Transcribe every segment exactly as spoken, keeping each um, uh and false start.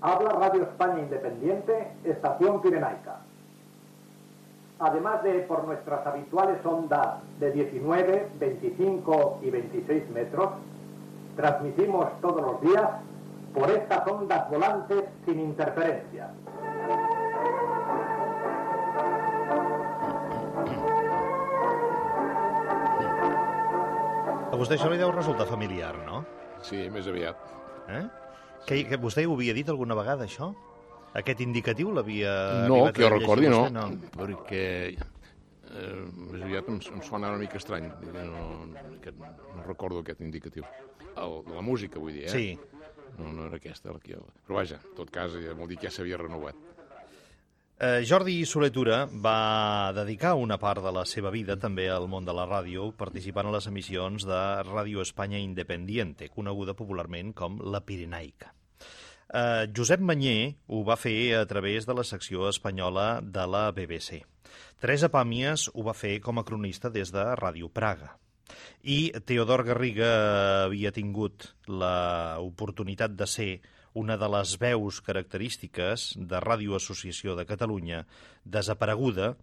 Habla Radio España Independiente, Estación Pirenaica. Además de por nuestras habituales ondas de diecinueve, veinticinco y veintiséis metros, transmitimos todos los días por estas ondas volantes sin interferencias. A vostè això li deu resultar familiar, no? Sí, més aviat. Eh? Que, que vostè ho havia dit alguna vegada, això? Aquest indicatiu l'havia... No, que jo recordi, no, no, perquè eh, més aviat em, em sona una mica estrany. No, aquest, no recordo aquest indicatiu. El, la música, vull dir, eh? Sí. No, no era aquesta. La que... Però vaja, en tot cas, vol dir que ja s'havia renovat. Eh, Jordi Soler-Tura va dedicar una part de la seva vida també al món de la ràdio, participant a les emissions de Ràdio Espanya Independiente, coneguda popularment com la Pirenaica. Eh, Josep Mañé ho va fer a través de la secció espanyola de la B B C. Teresa Pàmies ho va fer com a cronista des de Ràdio Praga. I Teodor Garriga havia tingut l'oportunitat de ser una de les veus característiques de Ràdio Associació de Catalunya, desapareguda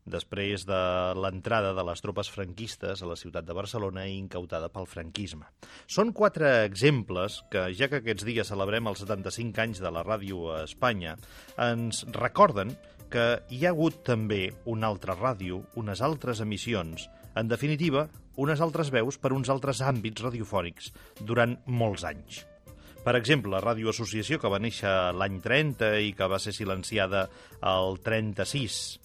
després de l'entrada de les tropes franquistes a la ciutat de Barcelona i incautada pel franquisme. Són quatre exemples que, ja que aquests dies celebrem els setanta-cinc anys de la ràdio a Espanya, ens recorden que hi ha hagut també una altra ràdio, unes altres emissions, en definitiva, unes altres veus per uns altres àmbits radiofònics durant molts anys. Per exemple, Ràdio Associació, que va néixer l'any trenta i que va ser silenciada al trenta-sis,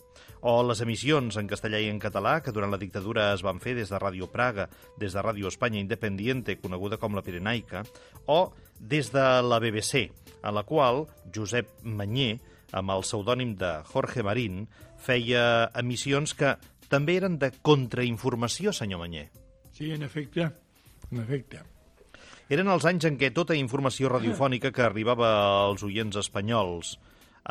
o les emissions en castellà i en català, que durant la dictadura es van fer des de Ràdio Praga, des de Ràdio Espanya Independiente, coneguda com la Pirenaica, o des de la B B C, a la qual Josep Mañé, amb el pseudònim de Jorge Marín, feia emissions que també eren de contrainformació, senyor Mañé. Sí, en efecte, en efecte. Eren els anys en què tota informació radiofònica que arribava als oients espanyols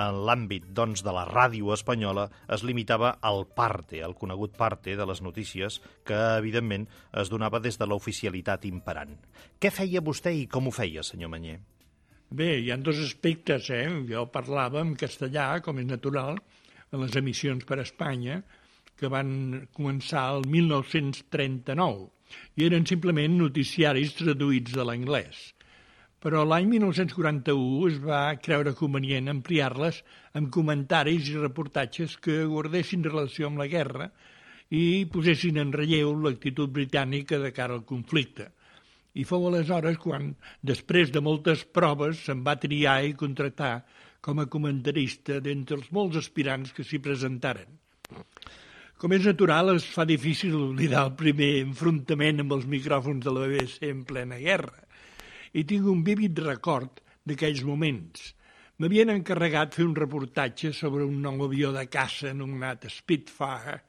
en l'àmbit, doncs, de la ràdio espanyola es limitava al parte, al conegut parte de les notícies que, evidentment, es donava des de l'oficialitat imperant. Què feia vostè i com ho feia, senyor Mañé? Bé, hi ha dos aspectes, eh? Jo parlava en castellà, com és natural, en les emissions per Espanya, que van començar el mil nou-cents trenta-nou, i eren simplement noticiaris traduïts de l'anglès. Però l'any mil nou-cents quaranta-u es va creure convenient ampliar-les amb comentaris i reportatges que guardessin relació amb la guerra i posessin en relleu l'actitud britànica de cara al conflicte. I fou aleshores quan, després de moltes proves, se'n va triar i contractar com a comentarista d'entre els molts aspirants que s'hi presentaren. Com és natural, es fa difícil oblidar el primer enfrontament amb els micròfons de la B B C en plena guerra. I tinc un vívid record d'aquells moments. M'havien encarregat fer un reportatge sobre un nou avió de caça anomenat Spitfire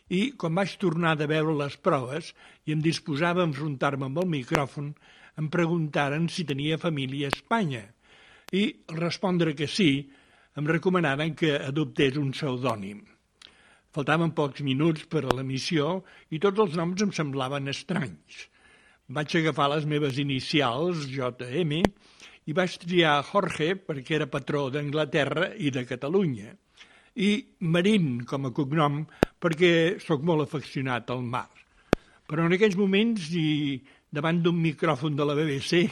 i, quan vaig tornar de veure les proves i em disposava a enfrontar-me amb el micròfon, em preguntaren si tenia família a Espanya. I, al respondre que sí, em recomanaren que adoptés un pseudònim. Faltaven pocs minuts per a l'emissió i tots els noms em semblaven estranys. Vaig agafar les meves inicials, J M, i vaig triar Jorge perquè era patró d'Anglaterra i de Catalunya, i Marín com a cognom perquè sóc molt afeccionat al mar. Però en aquells moments i davant d'un micròfon de la B B C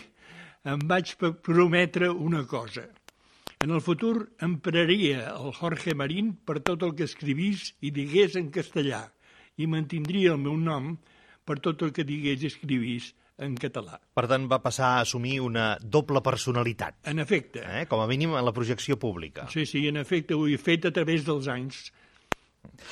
em vaig prometre una cosa. En el futur empraria el Jorge Marín per tot el que escrivís i digués en castellà i mantindria el meu nom per tot el que digués i escrivís en català. Per tant, va passar a assumir una doble personalitat. En efecte. Eh? Com a mínim en la projecció pública. Sí, sí, en efecte, ho he fet a través dels anys.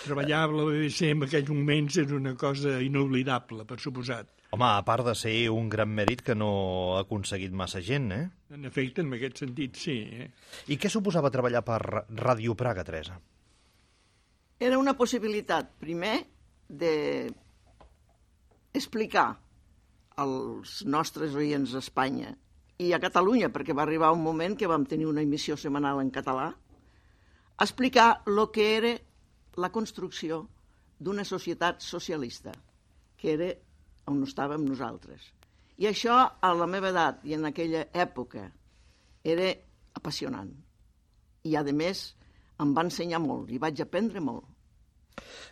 Treballar a la B B C en aquells moments és una cosa inoblidable, per suposat. Home, a part de ser un gran mèrit que no ha aconseguit massa gent, eh? En efecte, en aquest sentit, sí. Eh? I què suposava treballar per Ràdio Praga, Teresa? Era una possibilitat, primer, de explicar als nostres oients a Espanya i a Catalunya, perquè va arribar un moment que vam tenir una emissió setmanal en català, explicar el que era la construcció d'una societat socialista, que era on estàvem nosaltres. I això, a la meva edat i en aquella època, era apassionant. I, a més, em va ensenyar molt i vaig aprendre molt.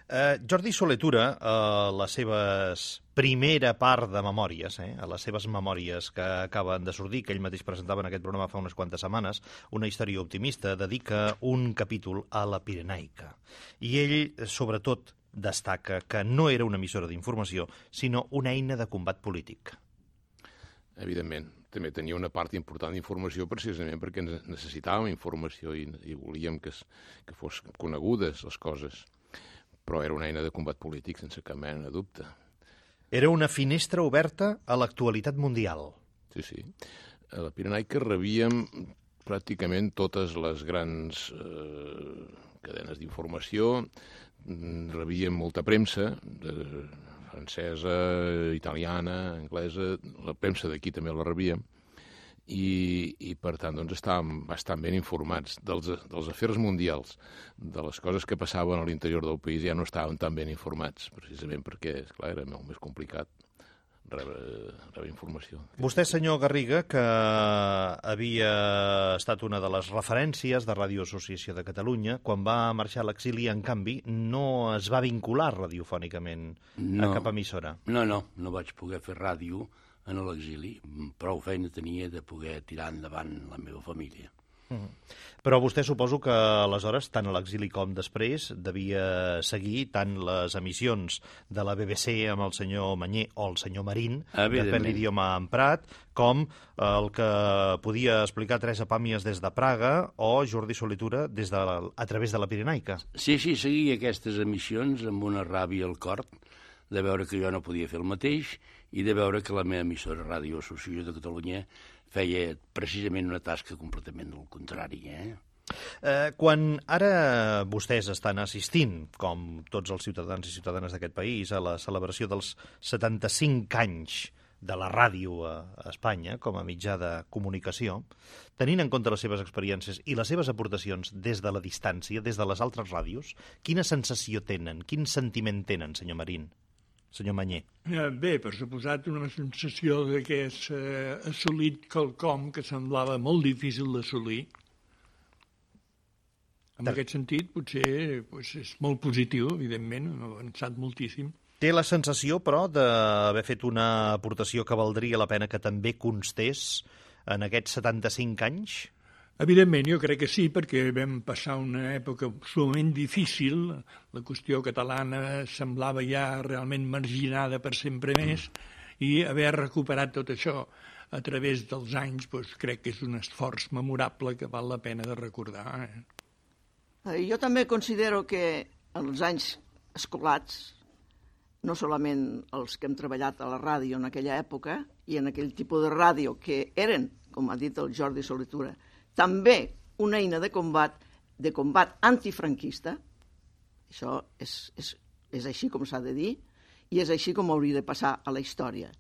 Eh, Jordi Soletura, a les seves primera part de memòries, eh, a les seves memòries que acaben de sortir, que ell mateix presentava en aquest programa fa unes quantes setmanes, Una història optimista, dedica un capítol a la Pirenaica. I ell, sobretot, destaca que no era una emissora d'informació, sinó una eina de combat polític. Evidentment. També tenia una part important d'informació precisament perquè necessitàvem informació i, i volíem que, es, que fos conegudes les coses. Però era una eina de combat polític, sense cap mena de dubte. Era una finestra oberta a l'actualitat mundial. Sí, sí. A la Pirenaica rebíem pràcticament totes les grans eh, cadenes d'informació, rebíem molta premsa, de, francesa, italiana, anglesa, la premsa d'aquí també la rebíem, i, i per tant doncs, estàvem bastant ben informats dels, dels afers mundials, de les coses que passaven a l'interior del país, ja no estàvem tan ben informats, precisament perquè, esclar, era molt més complicat rebre, rebre informació. Vostè, senyor Garriga, que havia estat una de les referències de Ràdio Associació de Catalunya, quan va marxar a l'exili, en canvi, no es va vincular radiofònicament no, a cap emissora. No, no, no vaig poder fer ràdio en l'exili. Prou feina tenia de poder tirar endavant la meva família. Mm. Però vostè suposo que aleshores, tant a l'exili com després, devia seguir tant les emissions de la B B C amb el senyor Manyer o el senyor Marín, depèn l'idioma emprat, com el que podia explicar Teresa Pàmies des de Praga o Jordi Soletura des de, a través de la Pirenaica. Sí, sí, seguia aquestes emissions amb una ràbia al cor de veure que jo no podia fer el mateix i de veure que la meva emissora Ràdio Associació de Catalunya feia precisament una tasca completament del contrari. Eh? Eh, quan ara vostès estan assistint, com tots els ciutadans i ciutadanes d'aquest país, a la celebració dels setanta-cinc anys de la ràdio a Espanya com a mitjà de comunicació, tenint en compte les seves experiències i les seves aportacions des de la distància, des de les altres ràdios, quina sensació tenen, quin sentiment tenen, senyor Marín? Senyor Manyer. Bé, per suposat, una sensació de que és eh, assolit quelcom que semblava molt difícil d'assolir. En aquest sentit, potser pues, és molt positiu, evidentment, ha avançat moltíssim. Té la sensació, però, d'haver fet una aportació que valdria la pena que també constés en aquests setanta-cinc anys? Evidentment, jo crec que sí, perquè vam passar una època sumament difícil, la qüestió catalana semblava ja realment marginada per sempre més, i haver recuperat tot això a través dels anys, doncs, crec que és un esforç memorable que val la pena de recordar. Eh? Jo també considero que els anys escolats, no solament els que hem treballat a la ràdio en aquella època i en aquell tipus de ràdio que eren, com ha dit el Jordi Soletura, també una eina de combat, de combat antifranquista, això és, és, és així com s'ha de dir, i és així com hauria de passar a la història.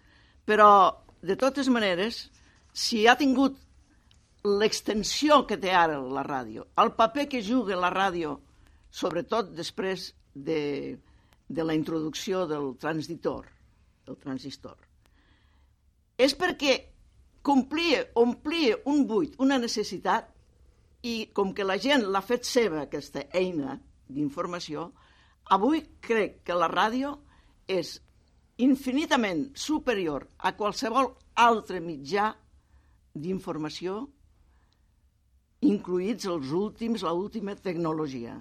Però, de totes maneres, si ha tingut l'extensió que té ara la ràdio, el paper que juga la ràdio, sobretot després de, de la introducció del transistor, del transistor, és perquè complia, omplia un buit, una necessitat, i com que la gent l'ha fet seva, aquesta eina d'informació, avui crec que la ràdio és infinitament superior a qualsevol altre mitjà d'informació, incluïts els últims, l'última tecnologia.